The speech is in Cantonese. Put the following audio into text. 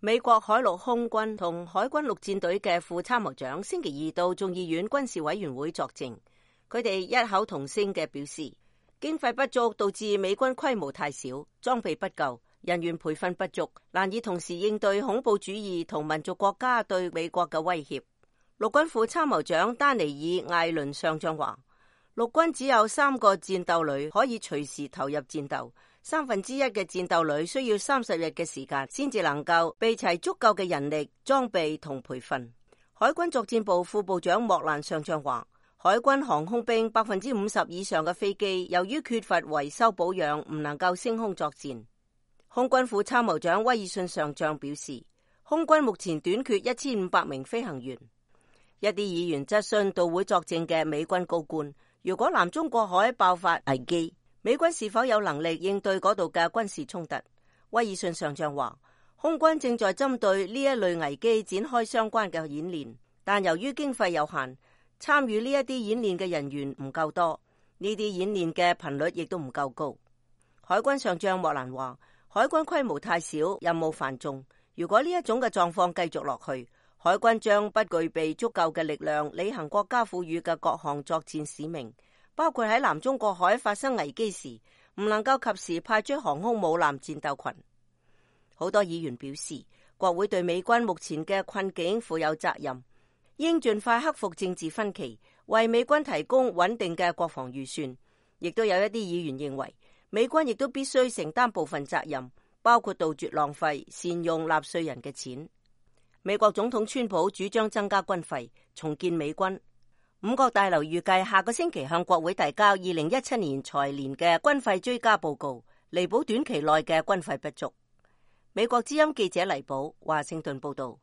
美國海陸空軍同海軍陸戰隊嘅副參謀長星期二到眾議院軍事委員會作證，佢哋異口同聲嘅表示，經費不足導致美軍規模太小，裝備不夠，人員培訓不足，難以同時應對恐怖主義同民族國家對美國嘅威脅。陸軍副參謀長丹尼爾·艾倫上將話，陸軍只有3個戰鬥旅可以隨時投入戰鬥，1/3嘅戰鬥旅需要30日嘅時間先至能夠備齊足夠嘅人力、裝備同培訓。海軍作戰部副部長莫蘭上將話，海軍航空兵50%以上嘅飛機由於缺乏維修保養，唔能夠升空作戰。空軍副參謀長威爾遜上將表示，空軍目前短缺1500名飛行員。一啲議員質詢到會作證嘅美軍高官，如果南中國海爆發危機，美軍是否有能力應對嗰度嘅軍事衝突？威爾遜上將話，空軍正在針對呢一類危機展開相關嘅演練，但由於經費有限，參與呢一啲演練嘅人員唔夠多，呢啲演練嘅頻率亦都唔夠高。海軍上將莫蘭話，海軍規模太小，任務繁重，如果呢一種嘅狀況繼續落去，海軍將不具備足夠嘅力量履行國家賦予嘅各項作戰使命，包括喺南中國海發生危機時唔能夠及時派出航空母艦戰鬥群。好多議員表示，國會對美軍目前嘅困境負有責任，應盡快克服政治分歧，為美軍提供穩定嘅國防預算。亦都有一啲議員認為，美軍亦都必須承擔部分責任，包括杜絕浪費，善用納稅人嘅錢。美國總統川普主張增加軍費，重建美軍。五角大樓預計下個星期向國會提交2017年財年嘅軍費追加報告，彌補短期內嘅軍費不足。美國之音記者黎寶華盛頓報道。